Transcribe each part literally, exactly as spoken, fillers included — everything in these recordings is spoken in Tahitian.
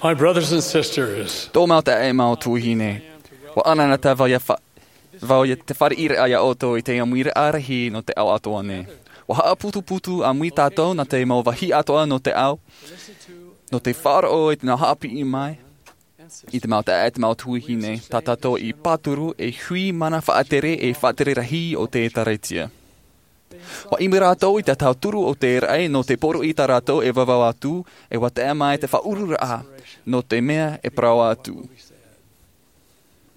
My brothers and sisters, Tō mau taeaʻe, mau tuahine, ʻua ʻanaʻanatae vau ia fa-, vau ia te fāriʻiraʻa ia ʻoutou i te ʻāmuiraʻa rahi nō te ao atoʻa nei. ʻUa haʻaputuputu ʻāmui tātou nā te mau vāhi atoʻa nō te ao, nō te faʻaroʻo i te nā haʻapiʻi mai, i te mau taeaʻe, te mau tuahine, tā tātou i pāturu, e hui mana faʻatere, e faʻatere rahi o te ʻĒtārētia. ʻUa ʻimi rātou i te tauturu o te raʻi nō te poroʻi tā rātou e vauvau atu, e ʻua tae mai te faʻauruuraʻa nō te mea e parau atu.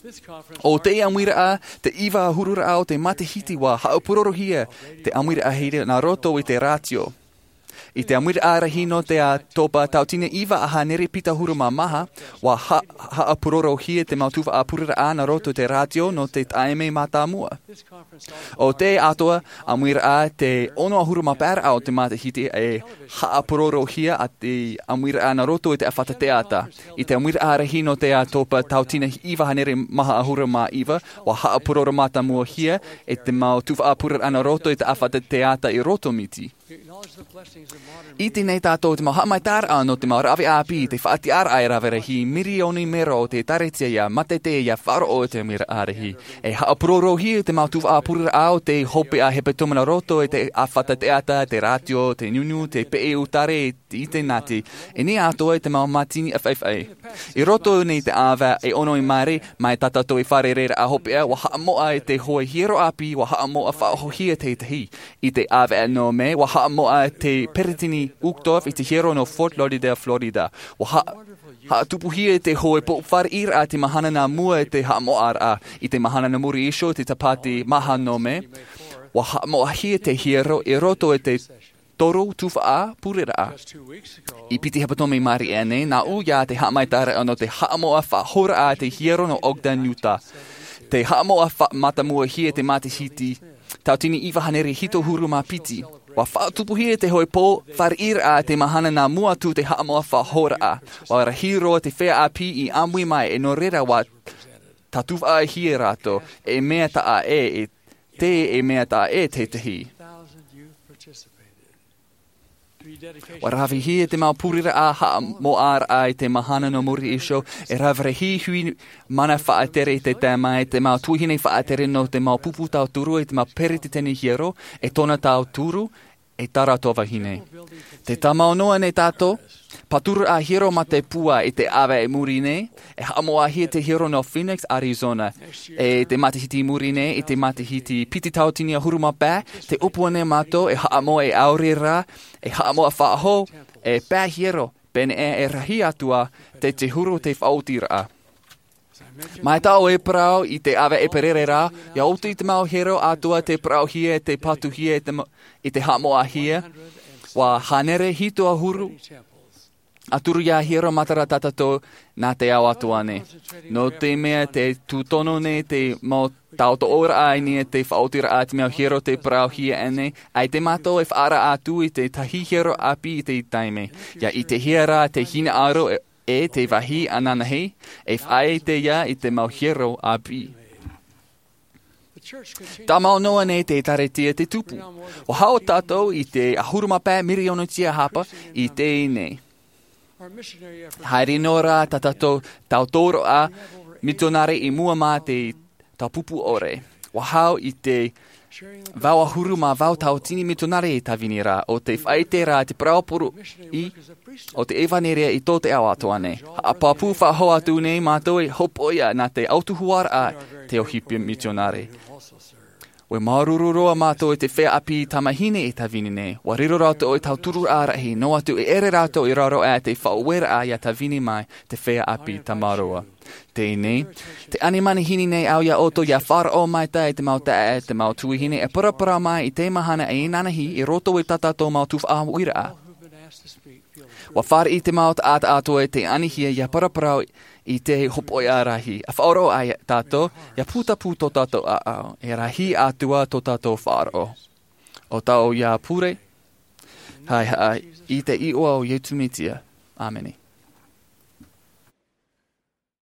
ʻO te ʻāmuiraʻa, te iva ʻahururaʻa o te matahiti ʻua haʻapurorohia te ʻāmuiraʻa here nā roto i te rātio. I te ʻāmuiraʻa rahi nō te ʻātopa tauatini iva hānere piti ʻahuru mā maha, ʻua ha-, haʻapurorohia te mau tuhaʻa pureraʻa nā roto i te rātio nō te taime mātāmua. ʻO te atoʻa ʻāmuiraʻa, te ono ʻahuru mā pae raʻa o te matahiti e haʻapurorohia ā te ʻāmuiraʻa nā roto i te ʻāfata teata. I te ʻāmuiraʻa rahi nō te ʻātopa tauatini iva hānere maha ʻahuru mā iva, ʻua haʻapuroro mātāmuahia e te mau tuhaʻa pureraʻa nā roto i te ʻāfata teata i Roto Miti. ʻIte nei tātou te mau haʻamaitaʻiraʻa nō te mau rave ʻāpī, te faʻatiʻaraʻa e rave rahi, mirioni mero o te ʻĒtārētia ʻia mātaitai ʻia faʻaroʻo i te ʻāmuiraʻa rahi. E haʻapurorohia te mau tuhaʻa pureraʻa o te hopeʻa hepetoma nā roto i te ʻāfata teata, te rātio, te nunu, te peʻe ʻutare, te ʻitenati, e nā atoʻa te mau mātini faʻaʻeʻa. I roto nei te ʻāvaʻe e ono i maere mai tā tātou e fārereiraʻa hopeʻa, ʻua haʻamoʻa i te hoe hiero ʻāpī, ʻua haʻamoʻa faʻahoʻihia te tahi. I te ʻāvaʻe nō Mē, ʻua haʻamoʻa te peretiteni Uchtdorf i te hiero nō Fort Lauderdale, Florida. ʻUa ha-, haʻatupuhia te hoe pō fāriʻiraʻa te mahana nā mua i te haʻamoʻaraʻa. I te mahana nā muri iho, te Tāpati maha nō Mē, ʻua haʻamoʻahia te hiero i roto i te toru tuhaʻa pureraʻa. I piti hepetoma i maere aʻe nei, nā ʻō ia te haʻamaitaʻiraʻa nō te haʻamoʻa faʻahouraʻa te hiero nō Ogden, Utah. Te haʻamoʻa fa-, mātāmuahia te matahiti, tauatini iva hānere hitu ʻahuru mā piti. ʻUa faʻatupuhia te hoe pō fāriʻiraʻa te mahana nā mua atu te haʻamoʻa faʻahouraʻa. ʻUa rahi roa te feiā ʻāpī i ʻāmui mai, e nō reira ʻua tātuhaʻahia rātou, e mea taʻa ʻē, e te, e mea taʻa ʻē te tahi. ʻUa ravehia te mau pureraʻa haʻamoʻaraʻa i te mahana nō muri iho, e rave rahi hui mana faʻatere i te tae mai, te mau tuahine faʻatere nō te mau pupu tauturu, e te mau peretiteni hiero, e tōna tauturu, e tā rātou vahine. Tē tāmau noa nei tātou, pāturu ā hiero mā te pūai i te ʻāvaʻe i muri nei, e haʻamoʻahia te hiero nō Phoenix, Arizona. E te matahiti i muri nei, i te matahiti piti tauatini ʻahuru mā pae, tē ʻōpua nei mātou e haʻamoʻa e ʻaore rā, e haʻamoʻa faʻahou, e pae hiero, pēneiaʻe e rahi atu ā, te, te huru te faʻaotiraʻa. Mai tā ʻoe e parau i te ʻāvaʻe ʻēperēra, ʻia oti te mau hiero atoʻa tē parauhia, tē patuhia i te ma-, i te haʻamoʻahia, ʻua hānere hitu ʻahuru ʻahuru mā toru ā hiero matara tā tātou nā te ao atoʻa nei. Nō te mea tē tūtono nei te mau tautooraʻa i niʻa i te faʻaotiraʻa te mau hiero tē parauhia nei, ʻaita mātou e faʻaara atu i te tahi hiero ʻāpī i te taime. ʻIa ʻitehia rā te hinaʻaro e, e te vāhi ananahi, e faʻaʻite ia i te mau hiero ʻāpī. Tāmau noa nei te ʻĒtārētia tē tupu. ʻUa haʻo tātou i te ʻahuru mā pae mirioni tiahapa i teie nei. Haere noa rā tā tātou tautooraʻa mitionare i mua mā te tāpupu ʻore. ʻUa haʻo i te vaʻu ʻahuru mā vaʻu tauatini mitionare i tāvini ra, ʻo tē faʻaʻite ra te parau poroʻi o te ʻevanelia i tō te ao atoʻa nei. Haʻapāpū faʻahou atu nei mātou e hopoiʻa nā te autahuʻaraʻa te ʻohipa mitionare. ʻUa māuruuru roa mātou i te feiā ʻāpī tamāhine i tāvini nei. ʻUa riro rātou i te tautururaʻa rahi, noa atu e ʻere rātou i raro aʻe i te faʻaueraʻa ʻia tāvini mai te feiā ʻāpī tamaroa. Teie nei, tē ani manihini nei au ia ʻoutou ʻia faʻaroʻo maitaʻi i te mau taeaʻe, te mau tuahine e paraparau mai i te mahana e inanahi i roto i tā tātou mau tuhaʻa ʻāmuiraʻa. ʻUa fāriʻi te mau taʻata atoʻa tē anihia ʻia paraparau i te hopoiʻa rahi. ʻA faʻaroʻo ai tātou, ʻia putapū tō tātou ʻāʻau, e rahi atu ā tō tātou faʻaroʻo. ʻO tāʻu ïa pure, haʻehaʻa i te iʻoa o Iesu Mesia. ʻĀmene.